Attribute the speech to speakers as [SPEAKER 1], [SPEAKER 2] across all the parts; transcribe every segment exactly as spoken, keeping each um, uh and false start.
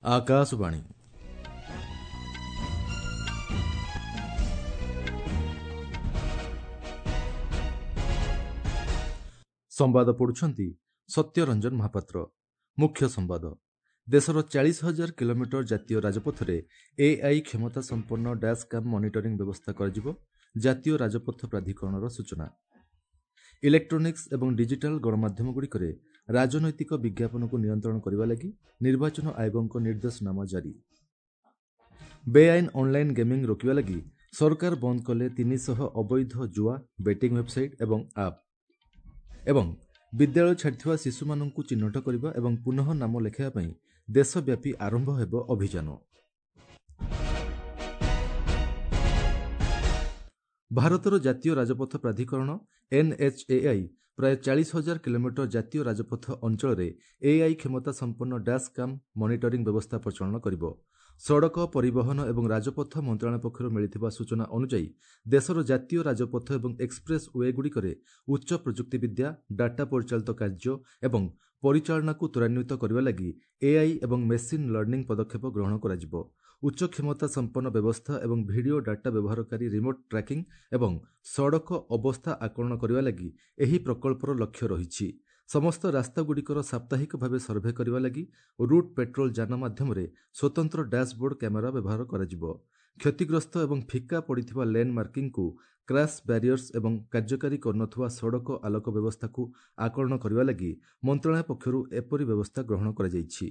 [SPEAKER 1] ଆକାଶବାଣୀ। ସମ୍ବାଦ ପଢୁଛନ୍ତି ସତ୍ୟରଞ୍ଜନ ମହାପାତ୍ର। ମୁଖ୍ୟ ସମ୍ବାଦ। ଦେଶର ଚାଳିଶ ହଜାର କିଲୋମିଟର ଜାତୀୟ ରାଜପଥରେ ଏଆଇ କ୍ଷମତା ସମ୍ପନ୍ନ ଡ୍ୟାସ୍ କ୍ୟାମ୍ ମନିଟରିଂ ବ୍ୟବସ୍ଥା କରାଯିବ, ଜାତୀୟ ରାଜପଥ ପ୍ରାଧିକରଣର ସୂଚନା। ଇଲେକ୍ଟ୍ରୋନିକ୍ସ ଏବଂ ଡିଜିଟାଲ ଗଣମାଧ୍ୟମଗୁଡ଼ିକରେ ରାଜନୈତିକ ବିଜ୍ଞାପନକୁ ନିୟନ୍ତ୍ରଣ କରିବା ଲାଗି ନିର୍ବାଚନ ଆୟୋଗଙ୍କ ନିର୍ଦ୍ଦେଶନାମା ଜାରି। ବେଆଇନ ଅନ୍ଲାଇନ୍ ଗେମିଂ ରୋକିବା ଲାଗି ସରକାର ବନ୍ଦ କଲେ ତିନିଶହ ଅବୈଧ ଜୁଆ, ବେଟିଂ ୱେବ୍ସାଇଟ୍ ଏବଂ ଆପ୍। ଏବଂ ବିଦ୍ୟାଳୟ ଛାଡ଼ିଥିବା ଶିଶୁମାନଙ୍କୁ ଚିହ୍ନଟ କରିବା ଏବଂ ପୁନଃ ନାମ ଲେଖାଇବା ପାଇଁ ଦେଶବ୍ୟାପୀ ଆରମ୍ଭ ହେବ ଅଭିଯାନ। ଭାରତର ଜାତୀୟ ରାଜପଥ ପ୍ରାଧିକରଣ ଏନ୍ଏଚ୍ଏଆଇ ପ୍ରାୟ ଚାଳିଶ ହଜାର କିଲୋମିଟର ଜାତୀୟ ରାଜପଥ ଅଞ୍ଚଳରେ ଏଆଇ କ୍ଷମତା ସମ୍ପନ୍ନ ଡ୍ୟାସ୍ କ୍ୟାମ୍ ମନିଟରିଂ ବ୍ୟବସ୍ଥା ପ୍ରଚଳନ କରିବ। ସଡ଼କ ପରିବହନ ଏବଂ ରାଜପଥ ମନ୍ତ୍ରଣାଳୟ ପକ୍ଷରୁ ମିଳିଥିବା ସୂଚନା ଅନୁଯାୟୀ ଦେଶର ଜାତୀୟ ରାଜପଥ ଏବଂ ଏକ୍ସପ୍ରେସ୍ ୱେଗୁଡ଼ିକରେ ଉଚ୍ଚ ପ୍ରଯୁକ୍ତିବିଦ୍ୟା, ଡାଟା ପରିଚାଳିତ କାର୍ଯ୍ୟ ଏବଂ ପରିଚାଳନାକୁ ତ୍ୱରାନ୍ୱିତ କରିବା ଲାଗି ଏଆଇ ଏବଂ ମେସିନ୍ ଲର୍ଣ୍ଣିଂ ପଦକ୍ଷେପ ଗ୍ରହଣ କରାଯିବ। ଉଚ୍ଚ କ୍ଷମତା ସମ୍ପନ୍ନ ବ୍ୟବସ୍ଥା ଏବଂ ଭିଡିଓ ଡାଟା ବ୍ୟବହାରକାରୀ ରିମୋଟ୍ ଟ୍ରାକିଂ ଏବଂ ସଡ଼କ ଅବସ୍ଥା ଆକଳନ କରିବା ଲାଗି ଏହି ପ୍ରକଳ୍ପର ଲକ୍ଷ୍ୟ ରହିଛି। ସମସ୍ତ ରାସ୍ତାଗୁଡ଼ିକର ସାପ୍ତାହିକ ଭାବେ ସର୍ଭେ କରିବା ଲାଗି ରୁଟ୍ ପେଟ୍ରୋଲ ଯାନ ମାଧ୍ୟମରେ ସ୍ୱତନ୍ତ୍ର ଡ୍ୟାସ୍ବୋର୍ଡ କ୍ୟାମେରା ବ୍ୟବହାର କରାଯିବ। କ୍ଷତିଗ୍ରସ୍ତ ଏବଂ ଫିକା ପଡ଼ିଥିବା ଲେନ୍ ମାର୍କିଂକୁ କ୍ରାସ୍ ବ୍ୟାରିୟର୍ସ ଏବଂ କାର୍ଯ୍ୟକାରୀ କରୁନଥିବା ସଡ଼କ ଆଲୋକ ବ୍ୟବସ୍ଥାକୁ ଆକଳନ କରିବା ଲାଗି ମନ୍ତ୍ରଣାଳୟ ପକ୍ଷରୁ ଏପରି ବ୍ୟବସ୍ଥା ଗ୍ରହଣ କରାଯାଇଛି।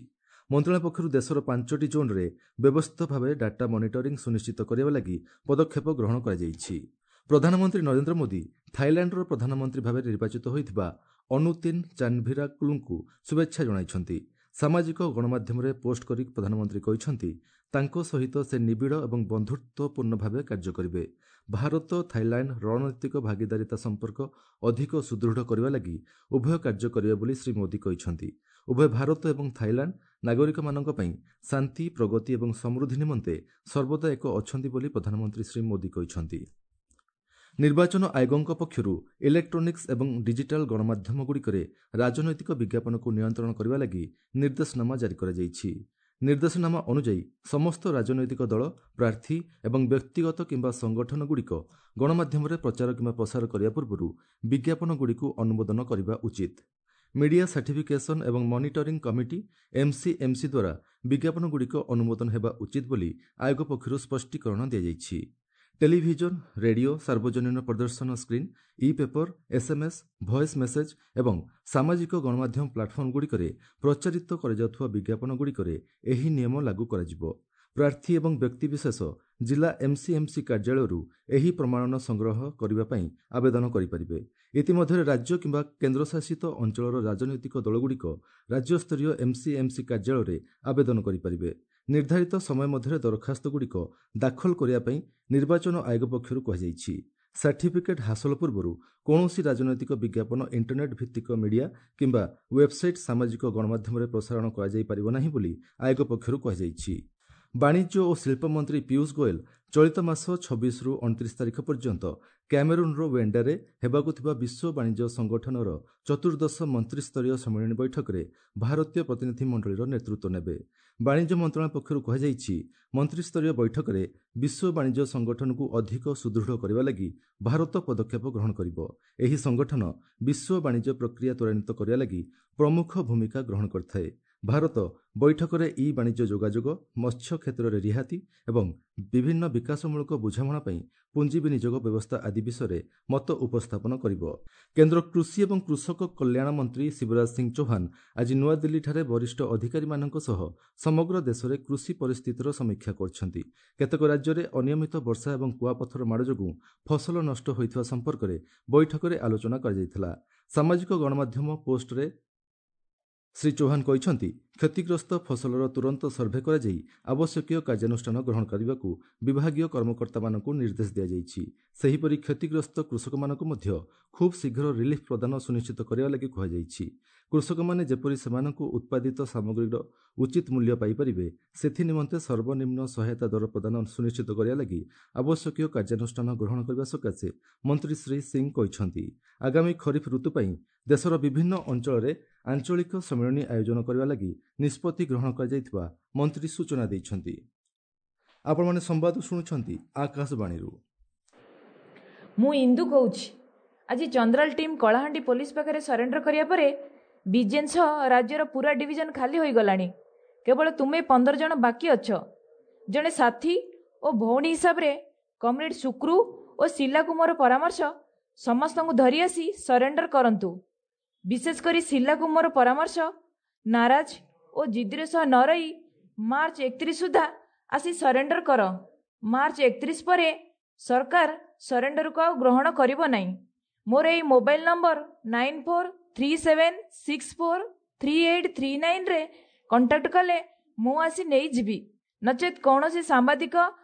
[SPEAKER 1] ମନ୍ତ୍ରଣାଳୟ ପକ୍ଷରୁ ଦେଶର ପାଞ୍ଚଟି ଜୋନ୍ରେ ବ୍ୟବସ୍ଥିତ ଭାବେ ଡାଟା ମନିଟରିଂ ସୁନିଶ୍ଚିତ କରିବା ଲାଗି ପଦକ୍ଷେପ ଗ୍ରହଣ କରାଯାଇଛି। ପ୍ରଧାନମନ୍ତ୍ରୀ ନରେନ୍ଦ୍ର ମୋଦି ଥାଇଲାଣ୍ଡର ପ୍ରଧାନମନ୍ତ୍ରୀ ଭାବେ ନିର୍ବାଚିତ ହୋଇଥିବା ଅନୁତିନ୍ ଚାନ୍ଭିରାକୁଲଙ୍କୁ ଶୁଭେଚ୍ଛା ଜଣାଇଛନ୍ତି। ସାମାଜିକ ଗଣମାଧ୍ୟମରେ ପୋଷ୍ଟ କରି ପ୍ରଧାନମନ୍ତ୍ରୀ କହିଛନ୍ତି, ତାଙ୍କ ସହିତ ସେ ନିବିଡ଼ ଏବଂ ବନ୍ଧୁତ୍ୱପୂର୍ଣ୍ଣ ଭାବେ କାର୍ଯ୍ୟ କରିବେ। ଭାରତ ଥାଇଲାଣ୍ଡ ରଣନୈତିକ ଭାଗିଦାରିତା ସମ୍ପର୍କ ଅଧିକ ସୁଦୃଢ଼ କରିବା ଲାଗି ଉଭୟ କାର୍ଯ୍ୟ କରିବେ ବୋଲି ଶ୍ରୀ ମୋଦି କହିଛନ୍ତି। ଉଭୟ ଭାରତ ଏବଂ ଥାଇଲାଣ୍ଡ ନାଗରିକମାନଙ୍କ ପାଇଁ ଶାନ୍ତି, ପ୍ରଗତି ଏବଂ ସମୃଦ୍ଧି ନିମନ୍ତେ ସର୍ବଦା ଏକ ଅଛନ୍ତି ବୋଲି ପ୍ରଧାନମନ୍ତ୍ରୀ ଶ୍ରୀ ମୋଦି କହିଛନ୍ତି। ନିର୍ବାଚନ ଆୟୋଗଙ୍କ ପକ୍ଷରୁ ଇଲେକ୍ଟ୍ରୋନିକ୍ସ ଏବଂ ଡିଜିଟାଲ ଗଣମାଧ୍ୟମଗୁଡ଼ିକରେ ରାଜନୈତିକ ବିଜ୍ଞାପନକୁ ନିୟନ୍ତ୍ରଣ କରିବା ଲାଗି ନିର୍ଦ୍ଦେଶନାମା ଜାରି କରାଯାଇଛି। ନିର୍ଦ୍ଦେଶନାମା ଅନୁଯାୟୀ ସମସ୍ତ ରାଜନୈତିକ ଦଳ, ପ୍ରାର୍ଥୀ ଏବଂ ବ୍ୟକ୍ତିଗତ କିମ୍ବା ସଂଗଠନଗୁଡ଼ିକ ଗଣମାଧ୍ୟମରେ ପ୍ରଚାର କିମ୍ବା ପ୍ରସାର କରିବା ପୂର୍ବରୁ ବିଜ୍ଞାପନଗୁଡ଼ିକୁ ଅନୁମୋଦନ କରିବା ଉଚିତ। ମିଡିଆ ସାର୍ଟିଫିକେସନ୍ ଏବଂ ମନିଟରିଂ କମିଟି ଏମ୍ସିଏମ୍ସି ଦ୍ୱାରା ବିଜ୍ଞାପନଗୁଡ଼ିକ ଅନୁମୋଦନ ହେବା ଉଚିତ ବୋଲି ଆୟୋଗ ପକ୍ଷରୁ ସ୍ପଷ୍ଟୀକରଣ ଦିଆଯାଇଛି। ଟେଲିଭିଜନ, ରେଡିଓ, ସାର୍ବଜନୀନ ପ୍ରଦର୍ଶନ screen, e paper, SMS, voice message ଏବଂ ସାମାଜିକ ଗଣମାଧ୍ୟମ ପ୍ଲାଟଫର୍ମଗୁଡ଼ିକରେ ପ୍ରଚାରିତ କରାଯାଉଥିବା ବିଜ୍ଞାପନଗୁଡ଼ିକରେ ଏହି ନିୟମ ଲାଗୁ କରାଯିବ। ପ୍ରାର୍ଥୀ ଏବଂ ବ୍ୟକ୍ତିବିଶେଷ ଜିଲ୍ଲା ଏମ୍ସିଏମ୍ସି କାର୍ଯ୍ୟାଳୟରୁ ଏହି ପ୍ରମାଣନ ସଂଗ୍ରହ କରିବା ପାଇଁ ଆବେଦନ କରିପାରିବେ। ଇତିମଧ୍ୟରେ ରାଜ୍ୟ କିମ୍ବା କେନ୍ଦ୍ରଶାସିତ ଅଞ୍ଚଳର ରାଜନୈତିକ ଦଳଗୁଡ଼ିକ ରାଜ୍ୟସ୍ତରୀୟ ଏମ୍ସିଏମ୍ସି କାର୍ଯ୍ୟାଳୟରେ ଆବେଦନ କରିପାରିବେ। ନିର୍ଦ୍ଧାରିତ ସମୟ ମଧ୍ୟରେ ଦରଖାସ୍ତଗୁଡ଼ିକ ଦାଖଲ କରିବା ପାଇଁ ନିର୍ବାଚନ ଆୟୋଗ ପକ୍ଷରୁ କୁହାଯାଇଛି। ସାର୍ଟିଫିକେଟ୍ ହାସଲ ପୂର୍ବରୁ କୌଣସି ରାଜନୈତିକ ବିଜ୍ଞାପନ ଇଣ୍ଟରନେଟ୍ ଭିତ୍ତିକ ମିଡିଆ କିମ୍ବା ୱେବ୍ସାଇଟ୍, ସାମାଜିକ ଗଣମାଧ୍ୟମରେ ପ୍ରସାରଣ କରାଯାଇପାରିବ ନାହିଁ ବୋଲି ଆୟୋଗ ପକ୍ଷରୁ କୁହାଯାଇଛି। ବାଣିଜ୍ୟ ଓ ଶିଳ୍ପ ମନ୍ତ୍ରୀ ପୀୟୁଷ ଗୋଏଲ ଚଳିତ ମାସ ଛବିଶରୁ ଅଣତିରିଶ ତାରିଖ ପର୍ଯ୍ୟନ୍ତ କ୍ୟାମେରୁନ୍ର ୱେଣ୍ଡାରେ ହେବାକୁ ଥିବା ବିଶ୍ୱ ବାଣିଜ୍ୟ ସଂଗଠନର ଚତୁର୍ଦ୍ଦଶ ମନ୍ତ୍ରିସ୍ତରୀୟ ସମ୍ମିଳନୀ ବୈଠକରେ ଭାରତୀୟ ପ୍ରତିନିଧି ମଣ୍ଡଳୀର ନେତୃତ୍ୱ ନେବେ। ବାଣିଜ୍ୟ ମନ୍ତ୍ରଣାଳୟ ପକ୍ଷରୁ କୁହାଯାଇଛି, ମନ୍ତ୍ରିସ୍ତରୀୟ ବୈଠକରେ ବିଶ୍ୱ ବାଣିଜ୍ୟ ସଂଗଠନକୁ ଅଧିକ ସୁଦୃଢ଼ କରିବା ଲାଗି ଭାରତ ପଦକ୍ଷେପ ଗ୍ରହଣ କରିବ। ଏହି ସଂଗଠନ ବିଶ୍ୱ ବାଣିଜ୍ୟ ପ୍ରକ୍ରିୟା ତ୍ୱରାନ୍ୱିତ କରିବା ଲାଗି ପ୍ରମୁଖ ଭୂମିକା ଗ୍ରହଣ କରିଥାଏ। ଭାରତ ବୈଠକରେ ଇ ବାଣିଜ୍ୟ ଯୋଗାଯୋଗ, ମତ୍ସ୍ୟ କ୍ଷେତ୍ରରେ ରିହାତି ଏବଂ ବିଭିନ୍ନ ବିକାଶମୂଳକ ବୁଝାମଣା ପାଇଁ ପୁଞ୍ଜି ବିନିଯୋଗ ବ୍ୟବସ୍ଥା ଆଦି ବିଷୟରେ ମତ ଉପସ୍ଥାପନ କରିବ। କେନ୍ଦ୍ର କୃଷି ଏବଂ କୃଷକ କଲ୍ୟାଣ ମନ୍ତ୍ରୀ ଶିବରାଜ ସିଂ ଚୌହାନ ଆଜି ନୂଆଦିଲ୍ଲୀଠାରେ ବରିଷ୍ଠ ଅଧିକାରୀମାନଙ୍କ ସହ ସମଗ୍ର ଦେଶରେ କୃଷି ପରିସ୍ଥିତିର ସମୀକ୍ଷା କରିଛନ୍ତି। କେତେକ ରାଜ୍ୟରେ ଅନିୟମିତ ବର୍ଷା ଏବଂ କୁଆପଥର ମାଡ଼ ଯୋଗୁଁ ଫସଲ ନଷ୍ଟ ହୋଇଥିବା ସମ୍ପର୍କରେ ବୈଠକରେ ଆଲୋଚନା କରାଯାଇଥିଲା। ସାମାଜିକ ଗଣମାଧ୍ୟମ ପୋଷ୍ଟରେ ଶ୍ରୀ ଚୌହାନ କହିଛନ୍ତି, କ୍ଷତିଗ୍ରସ୍ତ ଫସଲର ତୁରନ୍ତ ସର୍ଭେ କରାଯାଇ ଆବଶ୍ୟକୀୟ କାର୍ଯ୍ୟାନୁଷ୍ଠାନ ଗ୍ରହଣ କରିବାକୁ ବିଭାଗୀୟ କର୍ମକର୍ତ୍ତାମାନଙ୍କୁ ନିର୍ଦ୍ଦେଶ ଦିଆଯାଇଛି। ସେହିପରି କ୍ଷତିଗ୍ରସ୍ତ କୃଷକମାନଙ୍କୁ ମଧ୍ୟ ଖୁବ୍ ଶୀଘ୍ର ରିଲିଫ୍ ପ୍ରଦାନ ସୁନିଶ୍ଚିତ କରିବା ଲାଗି କୁହାଯାଇଛି। କୃଷକମାନେ ଯେପରି ସେମାନଙ୍କୁ ଉତ୍ପାଦିତ ସାମଗ୍ରୀର ଉଚିତ ମୂଲ୍ୟ ପାଇପାରିବେ, ସେଥିନିମନ୍ତେ ସର୍ବନିମ୍ନ ସହାୟତା ଦର ପ୍ରଦାନ ସୁନିଶ୍ଚିତ କରିବା ଲାଗି ଆବଶ୍ୟକୀୟ କାର୍ଯ୍ୟାନୁଷ୍ଠାନ ଗ୍ରହଣ କରିବା ସକାଶେ ମନ୍ତ୍ରୀ ଶ୍ରୀ ସିଂ କହିଛନ୍ତି। ଆଗାମୀ ଖରିଫ ଋତୁ ପାଇଁ ଦେଶର ବିଭିନ୍ନ ଅଞ୍ଚଳରେ ଆଞ୍ଚଳିକ ସମ୍ମିଳନୀ ଆୟୋଜନ କରିବା ଲାଗି ନିଷ୍ପତ୍ତି ଗ୍ରହଣ କରାଯାଇଥିବା ମନ୍ତ୍ରୀ ସୂଚନା ଦେଇଛନ୍ତି। ଆପଣମାନେ ସମ୍ବାଦ ଶୁଣୁଛନ୍ତି ଆକାଶବାଣୀରୁ।
[SPEAKER 2] ମୁଁ ଇନ୍ଦୁ କହୁଛି। ଆଜି ଚନ୍ଦ୍ରାଲ ଟିମ୍ କଳାହାଣ୍ଡି ପୋଲିସ ପାଖରେ ସରେଣ୍ଡର କରିବା ପରେ ବିଜେନ୍ ସହ ରାଜ୍ୟର ପୁରା ଡିଭିଜନ ଖାଲି ହୋଇଗଲାଣି। କେବଳ ତୁମେ ପନ୍ଦର ଜଣ ବାକି ଅଛ। ଜଣେ ସାଥୀ ଓ ଭଉଣୀ ହିସାବରେ କମ୍ରେଡ୍ ସୁକ୍ରୁ ଓ ଶିଲାକୁ ମୋର ପରାମର୍ଶ, ସମସ୍ତଙ୍କୁ ଧରି ଆସି ସରେଣ୍ଡର କରନ୍ତୁ। ବିଶେଷ କରି ଶିଲାକୁ ମୋର ପରାମର୍ଶ, ନାରାଜ ଓ ଜିଦ୍ଦିର ସହ ନ ରହି ମାର୍ଚ୍ଚ ଏକତିରିଶ ସୁଦ୍ଧା ଆସି ସରେଣ୍ଡର କର। ମାର୍ଚ୍ଚ ଏକତିରିଶ ପରେ ସରକାର ସରେଣ୍ଡରକୁ ଆଉ ଗ୍ରହଣ କରିବ ନାହିଁ। ମୋର ଏଇ mobile number nine four three seven six four three eight three ନାଇନ୍ରେ contact କଲେ ମୁଁ ଆସି ନେଇଯିବି। ନଚେତ୍ କୌଣସି ସାମ୍ବାଦିକ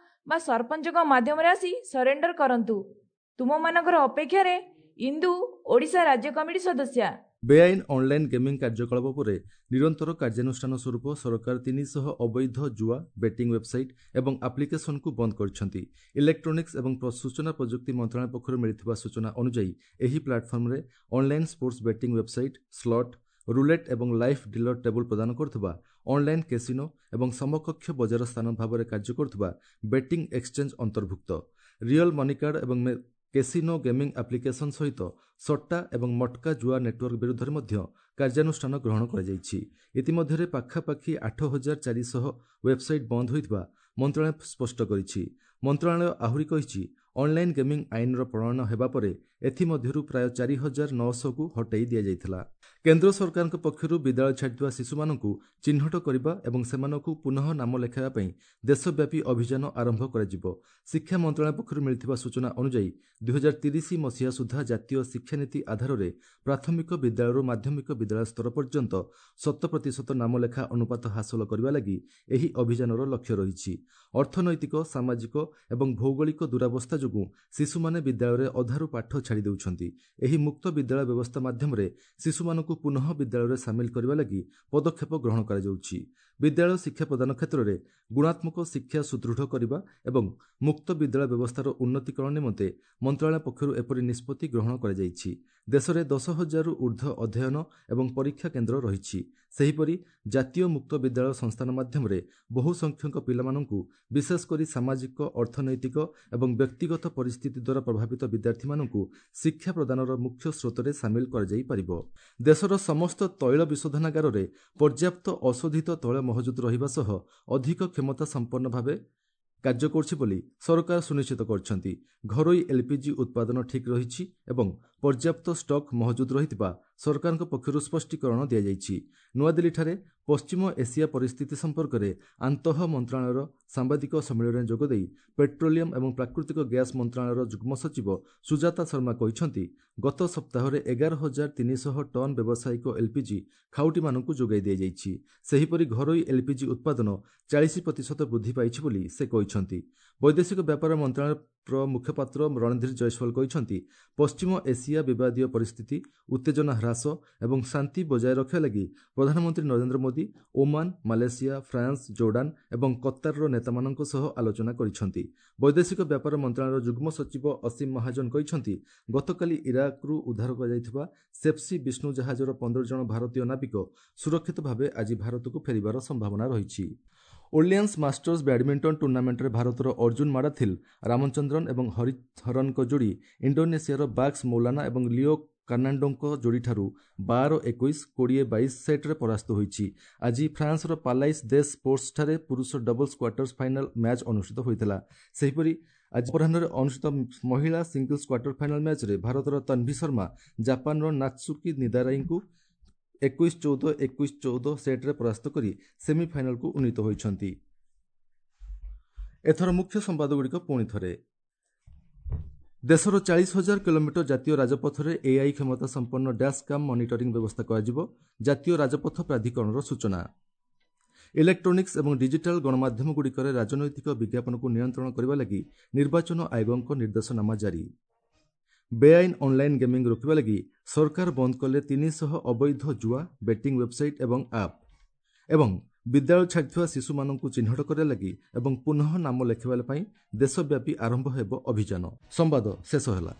[SPEAKER 2] ବା ସରପଞ୍ଚଙ୍କ ମାଧ୍ୟମରେ ଆସି ସରେଣ୍ଡର କରନ୍ତୁ। ତୁମମାନଙ୍କର ଅପେକ୍ଷାରେ ଇନ୍ଦୁ, ଓଡ଼ିଶା ରାଜ୍ୟ କମିଟି ସଦସ୍ୟା।
[SPEAKER 1] ବେଆଇନ ଅନ୍ଲାଇନ୍ ଗେମିଂ କାର୍ଯ୍ୟକଳାପ ଉପରେ ନିରନ୍ତର କାର୍ଯ୍ୟାନୁଷ୍ଠାନ ସ୍ୱରୂପ ସରକାର ତିନିଶହ ଅବୈଧ ଜୁଆ, ବେଟିଂ ୱେବ୍ସାଇଟ୍ ଏବଂ ଆପ୍ଲିକେସନକୁ ବନ୍ଦ କରିଛନ୍ତି। ଇଲେକ୍ଟ୍ରୋନିକ୍ସ ଏବଂ ସୂଚନା ପ୍ରଯୁକ୍ତି ମନ୍ତ୍ରଣାଳୟ ପକ୍ଷରୁ ମିଳିଥିବା ସୂଚନା ଅନୁଯାୟୀ ଏହି ପ୍ଲାଟଫର୍ମରେ online sports betting website, slot, roulette ଏବଂ ଲାଇଭ୍ ଡିଲର ଟେବୁଲ ପ୍ରଦାନ କରୁଥିବା ଅନ୍ଲାଇନ୍ କେସିନୋ ଏବଂ ସମକକ୍ଷ ବଜାର ସ୍ଥାନ ଭାବରେ କାର୍ଯ୍ୟ କରୁଥିବା ବେଟିଂ ଏକ୍ସଚେଞ୍ଜ ଅନ୍ତର୍ଭୁକ୍ତ। ରିଅଲ୍ ମନି କାର୍ଡ ଏବଂ କେସିନୋ ଗେମିଂ ଆପ୍ଲିକେସନ ସହିତ ସଟ୍ଟା ଏବଂ ମଟ୍କା ଜୁଆ ନେଟୱାର୍କ ବିରୁଦ୍ଧରେ ମଧ୍ୟ କାର୍ଯ୍ୟାନୁଷ୍ଠାନ ଗ୍ରହଣ କରାଯାଇଛି। ଇତିମଧ୍ୟରେ ପାଖାପାଖି ଆଠ ହଜାର ଚାରିଶହ ୱେବ୍ସାଇଟ୍ ବନ୍ଦ ହୋଇଥିବା ମନ୍ତ୍ରଣାଳୟ ସ୍ପଷ୍ଟ କରିଛି। ମନ୍ତ୍ରଣାଳୟ ଆହୁରି କହିଛି, ଅନ୍ଲାଇନ୍ ଗେମିଂ ଆଇନର ପ୍ରଣୟନ ହେବା ପରେ ଏଥିମଧ୍ୟରୁ ପ୍ରାୟ ଚାରି ହଜାର ନଅଶହକୁ ହଟାଇ ଦିଆଯାଇଥିଲା। କେନ୍ଦ୍ର ସରକାରଙ୍କ ପକ୍ଷରୁ ବିଦ୍ୟାଳୟ ଛାଡ଼ିଥିବା ଶିଶୁମାନଙ୍କୁ ଚିହ୍ନଟ କରିବା ଏବଂ ସେମାନଙ୍କୁ ପୁନଃ ନାମ ଲେଖାଇବା ପାଇଁ ଦେଶବ୍ୟାପୀ ଅଭିଯାନ ଆରମ୍ଭ କରାଯିବ। ଶିକ୍ଷା ମନ୍ତ୍ରଣାଳୟ ପକ୍ଷରୁ ମିଳିଥିବା ସୂଚନା ଅନୁଯାୟୀ ଦୁଇହଜାର ତିରିଶ ମସିହା ସୁଦ୍ଧା ଜାତୀୟ ଶିକ୍ଷାନୀତି ଆଧାରରେ ପ୍ରାଥମିକ ବିଦ୍ୟାଳୟରୁ ମାଧ୍ୟମିକ ବିଦ୍ୟାଳୟ ସ୍ତର ପର୍ଯ୍ୟନ୍ତ ଶତ ପ୍ରତିଶତ ନାମଲେଖା ଅନୁପାତ ହାସଲ କରିବା ଲାଗି ଏହି ଅଭିଯାନର ଲକ୍ଷ୍ୟ ରହିଛି। ଅର୍ଥନୈତିକ, ସାମାଜିକ ଏବଂ ଭୌଗୋଳିକ ଦୁରାବସ୍ଥା ଯୋଗୁଁ ଶିଶୁମାନେ ବିଦ୍ୟାଳୟରେ ଅଧାରୁ ପାଠ ଛାଡ଼ି ଦେଉଛନ୍ତି। ଏହି ମୁକ୍ତ ବିଦ୍ୟାଳୟ ବ୍ୟବସ୍ଥା ମାଧ୍ୟମରେ ଶିଶୁମାନଙ୍କୁ ପୁନଃ ବିଦ୍ୟାଳୟରେ ସାମିଲ କରିବା ଲାଗି ପଦକ୍ଷେପ ଗ୍ରହଣ କରାଯାଉଛି। ବିଦ୍ୟାଳୟ ଶିକ୍ଷା ପ୍ରଦାନ କ୍ଷେତ୍ରରେ ଗୁଣାତ୍ମକ ଶିକ୍ଷା ସୁଦୃଢ଼ କରିବା ଏବଂ ମୁକ୍ତ ବିଦ୍ୟାଳୟ ବ୍ୟବସ୍ଥାର ଉନ୍ନତିକରଣ ନିମନ୍ତେ ମନ୍ତ୍ରଣାଳୟ ପକ୍ଷରୁ ଏପରି ନିଷ୍ପତ୍ତି ଗ୍ରହଣ କରାଯାଇଛି। ଦେଶରେ ଦଶ ହଜାରରୁ ଉର୍ଦ୍ଧ୍ୱ ଅଧ୍ୟୟନ ଏବଂ ପରୀକ୍ଷା କେନ୍ଦ୍ର ରହିଛି। ସେହିପରି ଜାତୀୟ ମୁକ୍ତ ବିଦ୍ୟାଳୟ ସଂସ୍ଥାନ ମାଧ୍ୟମରେ ବହୁ ସଂଖ୍ୟକ ପିଲାମାନଙ୍କୁ, ବିଶେଷ କରି ସାମାଜିକ, ଅର୍ଥନୈତିକ ଏବଂ ବ୍ୟକ୍ତିଗତ ପରିସ୍ଥିତି ଦ୍ୱାରା ପ୍ରଭାବିତ ବିଦ୍ୟାର୍ଥୀମାନଙ୍କୁ ଶିକ୍ଷା ପ୍ରଦାନର ମୁଖ୍ୟ ସ୍ରୋତରେ ସାମିଲ କରାଯାଇପାରିବ। ଦେଶର ସମସ୍ତ ତୈଳ ବିଶୋଧନାଗାରରେ ପର୍ଯ୍ୟାପ୍ତ ଅଶୋଧିତ ତୈଳ ମହଜୁଦ ରହିବା ସହ ଅଧିକ କ୍ଷମତା ସମ୍ପନ୍ନ ଭାବେ କାର୍ଯ୍ୟ କରୁଛି ବୋଲି ସରକାର ସୁନିଶ୍ଚିତ କରିଛନ୍ତି। ଘରୋଇ ଏଲ୍ପିଜି ଉତ୍ପାଦନ ଠିକ୍ ରହିଛି ଏବଂ ପର୍ଯ୍ୟାପ୍ତ ଷ୍ଟକ୍ ମହଜୁଦ ରହିଥିବା ସରକାରଙ୍କ ପକ୍ଷରୁ ସ୍ପଷ୍ଟୀକରଣ ଦିଆଯାଇଛି। ନୂଆଦିଲ୍ଲୀଠାରେ ପଶ୍ଚିମ ଏସିଆ ପରିସ୍ଥିତି ସମ୍ପର୍କରେ ଆନ୍ତଃ ମନ୍ତ୍ରଣାଳୟର ସାମ୍ବାଦିକ ସମ୍ମିଳନୀରେ ଯୋଗଦେଇ ପେଟ୍ରୋଲିୟମ ଏବଂ ପ୍ରାକୃତିକ ଗ୍ୟାସ୍ ମନ୍ତ୍ରଣାଳୟର ଯୁଗ୍ମ ସଚିବ ସୁଜାତା ଶର୍ମା କହିଛନ୍ତି, ଗତ ସପ୍ତାହରେ ଏଗାର ହଜାର ତିନିଶହ ଟନ୍ ବ୍ୟବସାୟିକ ଏଲ୍ପିଜି ଖାଉଟିମାନଙ୍କୁ ଯୋଗାଇ ଦିଆଯାଇଛି। ସେହିପରି ଘରୋଇ ଏଲ୍ପିଜି ଉତ୍ପାଦନ ଚାଳିଶ ପ୍ରତିଶତ ବୃଦ୍ଧି ପାଇଛି ବୋଲି ସେ କହିଛନ୍ତି। ବୈଦେଶିକ ବ୍ୟାପାର ମନ୍ତ୍ରଣାଳୟର ମୁଖପାତ୍ର ରଣଧୀର ଜୟସ୍ୱାଲ କହିଛନ୍ତି, ପଶ୍ଚିମ ଏସିଆ ବିବାଦୀୟ ପରିସ୍ଥିତି, ଉତ୍ତେଜନା ହ୍ରାସ ଏବଂ ଶାନ୍ତି ବଜାୟ ରଖିବା ଲାଗି ପ୍ରଧାନମନ୍ତ୍ରୀ Narendra Modi Oman, Malaysia, France, Jordan ଏବଂ କତାରର ନେତାମାନଙ୍କ ସହ ଆଲୋଚନା କରିଛନ୍ତି। ବୈଦେଶିକ ବ୍ୟାପାର ମନ୍ତ୍ରଣାଳୟର ଯୁଗ୍ମ ସଚିବ ଅସୀମ ମହାଜନ କହିଛନ୍ତି, ଗତକାଲି ଇରାକରୁ ଉଦ୍ଧାର କରାଯାଇଥିବା ସେପ୍ସି ବିଷ୍ଣୁ ଜାହାଜର ପନ୍ଦର ଜଣ ଭାରତୀୟ ନାବିକ ସୁରକ୍ଷିତ ଭାବେ ଆଜି ଭାରତକୁ ଫେରିବାର ସମ୍ଭାବନା ରହିଛି। ଓର୍ଲିଆନ୍ସ ମାଷ୍ଟର୍ସ ବ୍ୟାଡମିଣ୍ଟନ ଟୁର୍ଣ୍ଣାମେଣ୍ଟରେ ଭାରତର ଅର୍ଜୁନ ମାଡାଥିଲ, ରାମଚନ୍ଦ୍ରନ ଏବଂ ହରିହରନଙ୍କ ଯୋଡ଼ି ଇଣ୍ଡୋନେସିଆର ବାକ୍ସ ମୌଲାନା ଏବଂ ଲିଓ କାର୍ନାଣ୍ଡୋଙ୍କ ଯୋଡ଼ିଠାରୁ ବାର ଏକୋଇଶ, କୋଡ଼ିଏ ବାଇଶ ସେଟ୍ରେ ପରାସ୍ତ ହୋଇଛି। ଆଜି ଫ୍ରାନ୍ସର ପାଲାଇସ୍ ଦେସ୍ ସ୍ପୋର୍ଟସଠାରେ ପୁରୁଷ ଡବଲ୍ସ କ୍ୱାର୍ଟର୍ସ ଫାଇନାଲ ମ୍ୟାଚ୍ ଅନୁଷ୍ଠିତ ହୋଇଥିଲା। ସେହିପରି ଆଜି ଅପରାହ୍ନରେ ଅନୁଷ୍ଠିତ ମହିଳା ସିଙ୍ଗଲ୍ସ କ୍ୱାର୍ଟର ଫାଇନାଲ ମ୍ୟାଚ୍ରେ ଭାରତର ତନ୍ଭି ଶର୍ମା ଜାପାନର ନାତ୍ସୁକି ନିଦାରାଇଙ୍କୁ ଏକୋଇଶ ଚଉଦ, ଏକୋଇଶ ଚଉଦ ସେଟ୍ରେ ପରାସ୍ତ କରି ସେମିଫାଇନାଲକୁ ଉନ୍ନୀତ ହୋଇଛନ୍ତି। ଏଥର ମୁଖ୍ୟ ସମ୍ବାଦଗୁଡ଼ିକ ପୁଣି ଥରେ। ଦେଶର ଚାଳିଶ ହଜାର କିଲୋମିଟର ଜାତୀୟ ରାଜପଥରେ ଏଆଇ କ୍ଷମତା ସମ୍ପନ୍ନ ଡ୍ୟାସ୍ କାମ୍ ମନିଟରିଂ ବ୍ୟବସ୍ଥା କରାଯିବ, ଜାତୀୟ ରାଜପଥ ପ୍ରାଧିକରଣର ସୂଚନା। ଇଲେକ୍ଟ୍ରୋନିକ୍ସ ଏବଂ ଡିଜିଟାଲ ଗଣମାଧ୍ୟମଗୁଡ଼ିକରେ ରାଜନୈତିକ ବିଜ୍ଞାପନକୁ ନିୟନ୍ତ୍ରଣ କରିବା ଲାଗି ନିର୍ବାଚନ ଆୟୋଗଙ୍କ ନିର୍ଦ୍ଦେଶନାମା ଜାରି। ବେଆଇନ ଅନ୍ଲାଇନ୍ ଗେମିଂ ରୋକିବା ଲାଗି ସରକାର ବନ୍ଦ କଲେ ତିନିଶହ ଅବୈଧ ଜୁଆ, ବେଟିଂ ୱେବ୍ସାଇଟ୍ ଏବଂ ଆପ୍। ଏବଂ ବିଦ୍ୟାଳୟ ଛାଡ଼ିଥିବା ଶିଶୁମାନଙ୍କୁ ଚିହ୍ନଟ କରିବା ଲାଗି ଏବଂ ପୁନଃ ନାମ ଲେଖାଇବା ପାଇଁ ଦେଶବ୍ୟାପୀ ଆରମ୍ଭ ହେବ ଅଭିଯାନ। ସମ୍ବାଦ ଶେଷ ହେଲା।